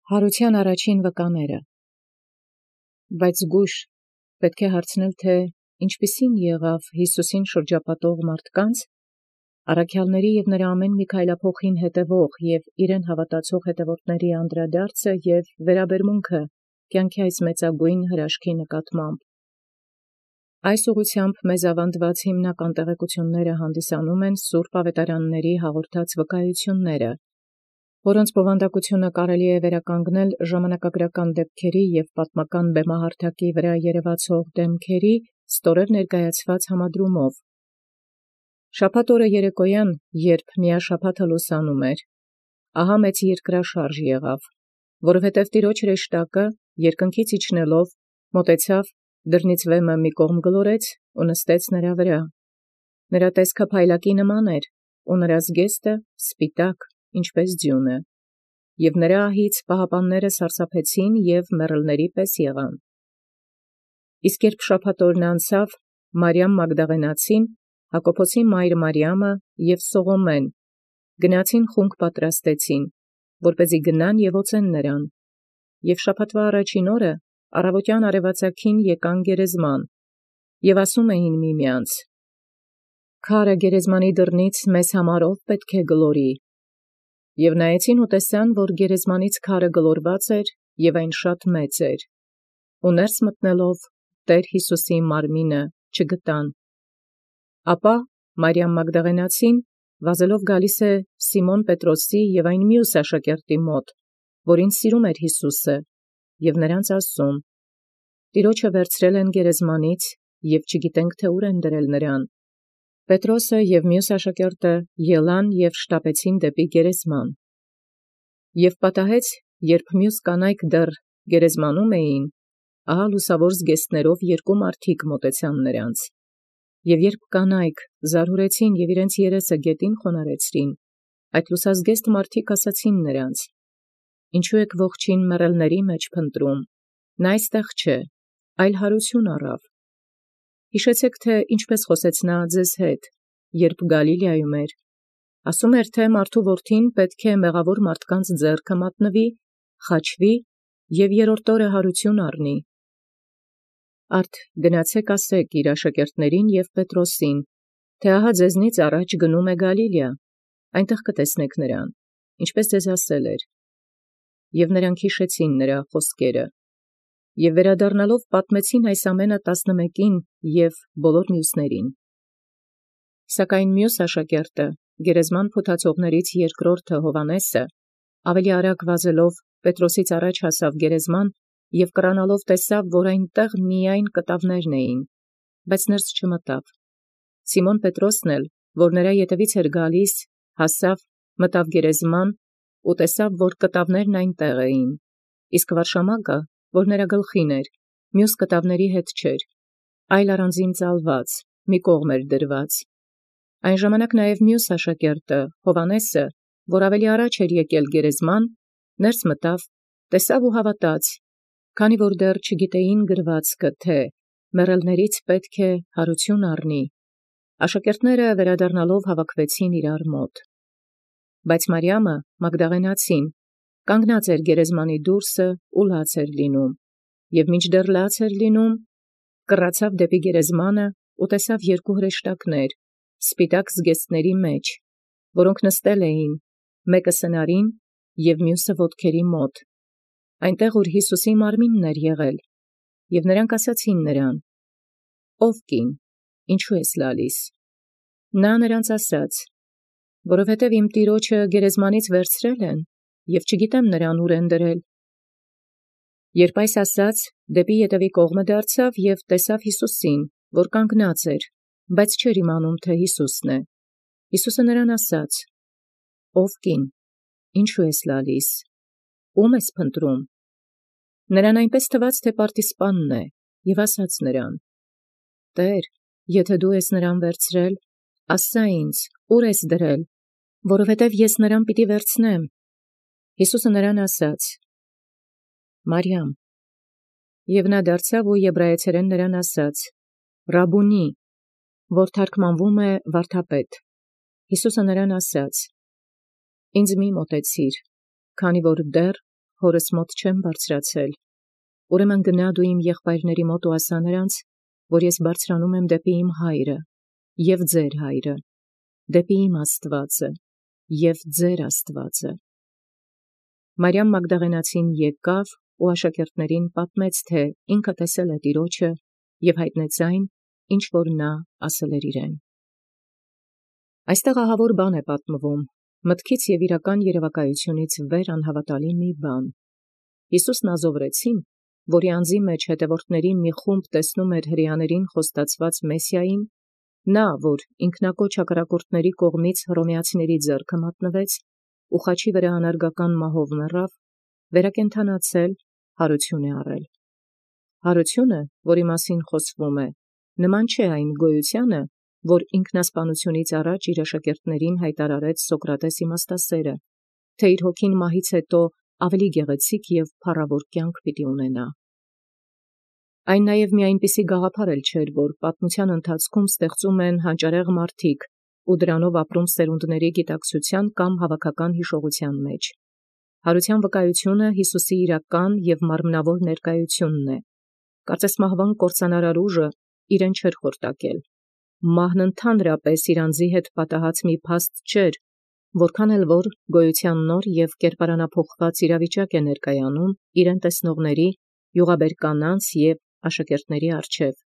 Հարության առաջին վկաները։ Բայց զգույշ պետք է հարցնել, թե ինչպիսին եղավ Յիսուսին շրջապատող մարդկանց, առաքյալների և նրա ամեն մի քայլափոխին հետևող և իրեն հավատացող հետևորդների անդրադարձը և վերաբերմունքը կյանքի այս մեծագույն հրաշքի նկատմամբ։ Այս ուղղությամբ մեզ ավանդված հիմնական տեղեկությունները հանդիսանում են Սուրբ Ավետարանների հաղորդած վկայությունները, որոնց բովանդակությունը կարելի է վերականգնել ժամանակագրական դեպքերի և պատմական բեմահարթակի վրա երևացող դեմքերի ստորև ներկայացված համադրումով։ Շաբաթ օրը երեկոյան, երբ միաշաբաթը լուսանում էր, ահա մեծ երկրաշարժ եղավ, որովհետև Տիրոջ հրեշտակը երկնքից իջնելով մոտեցավ, դռնից վեմը մի կողմ գլորեց ու նստեց նրա վրա։ Նրա տեսքը փայլակի նման էր, ու նրա զգեստը սպիտակ, ինչպես ձյունը, և նրա ահից պահապանները սարսափեցին և մեռելների պես եղան։ Իսկ երբ շաբաթ օրն անցավ, Մարիամ Մագդաղենացին, Հակոբոսի մայր Մարիամը և Սողոմեն գնացին խունկ պատրաստեցին, որպեսզի գնան և օծեն նրան, և շաբաթվա առաջին օրը առավոտյան արևածագին եկան գերեզման, և ասում էին միմյանց. «Քարը գերեզմանի դռնից մեզ համար ով պետք է գլորի»։ Եւ նայեցին ու տեսան, որ գերեզմանից քարը գլորված էր, և այն շատ մեծ էր, ու ներս մտնելով Տեր Յիսուսի մարմինը չգտան։ Ապա Մարիամ Մագդաղենացին վազելով գալիս է Սիմոն Պետրոսի և այն մյուս աշակերտի մոտ, որին սիրում էր Յիսուսը, և նրանց ասում. «Տիրոջը վերցրել են գերեզմանից, և չգիտենք, թե ուր են դրել նրան»։ Պետրոսը և մյուս աշակերտը ելան և շտապեցին դեպի գերեզման։ Եվ պատահեց, երբ մյուս կանայք դեռ գերեզմանում էին, ահա լուսավոր զգեստներով երկու մարդիկ մոտեցան նրանց։ Եվ երբ կանայք զարհուրեցին և իրենց երեսը գետին խոնարհեցրին, այդ լուսազգեստ մարդիկ ասացին նրանց. «Ինչու եք ողջին մեռելների մեջ փնտրում, նա այստեղ չէ, այլ հարություն առավ։ Հիշեցեք, թե ինչպես խոսեց նա ձեզ հետ, երբ Գալիլեայում էր. ասում էր, թե մարդու որդին պետք է մեղավոր մարդկանց ձեռքը մատնվի, խաչվի և երրորդ օրը հարություն առնի։ Արդ գնացեք ասեք իր աշակերտներին և Պետրոսին, թե ահա ձեզնից առաջ գնում է Գալիլեա, այնտեղ կտեսնեք նրան, ինչպես ձեզ ասել էր։ Եվ նրանք հիշեցին նրա խոսքերը, և վերադառնալով պատմեցին այս ամենը 11-ին և բոլոր մյուսներին։ Սակայն մյուս աշակերտը, գերեզման փութացողներից երկրորդը Հովհաննեսը, ավելի արագ վազելով Պետրոսից առաջ հասավ գերեզման և կռանալով տեսավ, որ այնտեղ միայն կտավներն էին, բայց ներս չմտավ։ Սիմոն Պետրոսն էլ, որ նրա ետևից էր գալիս, հասավ, մտավ գերեզման ու տեսավ, որ կտավներն այնտեղ էին, իսկ վարշամակը, որ նրա գլխին էր, մյուս կտավների հետ չէր, այլ առանձին ծալված, մի կողմ էր դրված։ Այն ժամանակ նաև մյուս աշակերտը, Հովհաննեսը, որ ավելի առաջ էր եկել գերեզման, ներս մտավ, տեսավ ու հավատաց, քանի որ դեռ չգիտեին գրվածքը, թե մեռելներից պետք է հարություն առնի։ Աշակերտները վերադառնալով հավաքվեցին իրար մոտ։ Բայց Մարիամը Մագդաղենացին կանգնած էր գերեզմանի դուրսը ու լաց էր լինում, և մինչդեռ լաց էր լինում, կռացավ դեպի գերեզմանը ու տեսավ երկու հրեշտակներ, սպիտակ զգեստների մեջ, որոնք նստել էին, մեկը սնարին և մյուսը ոտքերի մոտ, այնտեղ, ուր Յիսուսի մարմինն էր եղել, և նրանք ասացին նրան. «Ով կին, ինչու ես լալիս»։ Նա նրանց ասաց. «Որովհետև իմ Տիրոջը գերեզմանից վերցրել են, և չգիտեմ նրան ուր են դրել»։ Երբ այս ասաց, դեպի ետևի կողմը դարձավ և տեսավ Յիսուսին, որ կանգնած էր, բայց չէր իմանում, թե Յիսուսն է։ Յիսուսը նրան ասաց. «Ով կին, ինչու ես լալիս, ո՞ւմ ես փնտրում»։ Նրան այնպես թվաց, թե պարտիսպանն է, և ասաց նրան. «Տեր, եթե դու ես նրան վերցրել, ասա ինձ, ուր ես դրել, որովհետև ես նրան պիտի վերցնեմ»։ Յիսուսը նրան ասաց. «Մարիամ»։ Եվ նա դարձավ ու եբրայեցերեն նրան ասաց. «Ռաբունի», որ թարգմանվում է վարդապետ։ Յիսուսը նրան ասաց. «Ինձ մի մոտեցիր, քանի որ դեռ փորս մոտ չեմ բարձրացել, ուրեմն գնա դու իմ եղբայրների մոտ ու ասա նրանց, որ ես բարձրանում եմ դեպի իմ հայրը և ձեր հայրը, դեպի իմ Աստվածը և ձեր Աստվածը։ Մարիամ Մագդաղենացին եկավ ու աշակերտներին պատմեց, թե ինքը տեսել է Տիրոջը և հայտնեց այն, ինչ որ նա ասել էր իրեն։ Այստեղ ահավոր բան է պատմվում, մտքից և իրական երևակայությունից վեր անհավատալի մի բան։ Հիսուսն ազովրեցին, որի անձի մեջ հետևորդների մի խումբ տեսնում էր հրեաներին խոստացված Մեսիային, նա, որ ինքնակոչ հակառակորդների կողմից հռոմեացիների ձեռքը մատնվեց ու խաչի վրա անարգական մահով մեռավ, վերակենդանացել, հարություն է առել։ Հարությունը, որի մասին խոսվում է, նման չէ այն գոյությանը, որ ինքնասպանությունից առաջ իր աշակերտներին հայտարարեց Սոկրատես իմաստասերը, թե իր հոգին մահից հետո ավելի գեղեցիկ և փառավոր կյանք պիտի ունենա։ Այն նաև մի այնպիսի գաղափար էլ չէր, որ պատմության ընթացքում ստեղծում են հանճարեղ մարդիկ ու դրանով ապրում սերունդների գիտակցության կամ հավաքական հիշողության մեջ։ Հարության վկայությունը Հիսուսի իրական և մարմնավոր ներկայությունն է։ Կարծես մահվան կործանարար ուժը իրեն չէր խորտակել։ Մահն ընդհանրապես իր անձի հետ պատահած մի փաստ չէր, որքան էլ որ գոյության նոր և կերպարանափոխված իրավիճակ է ներկայանում իրեն տեսնողների, յուղաբեր կանանց և աշակերտների առջև,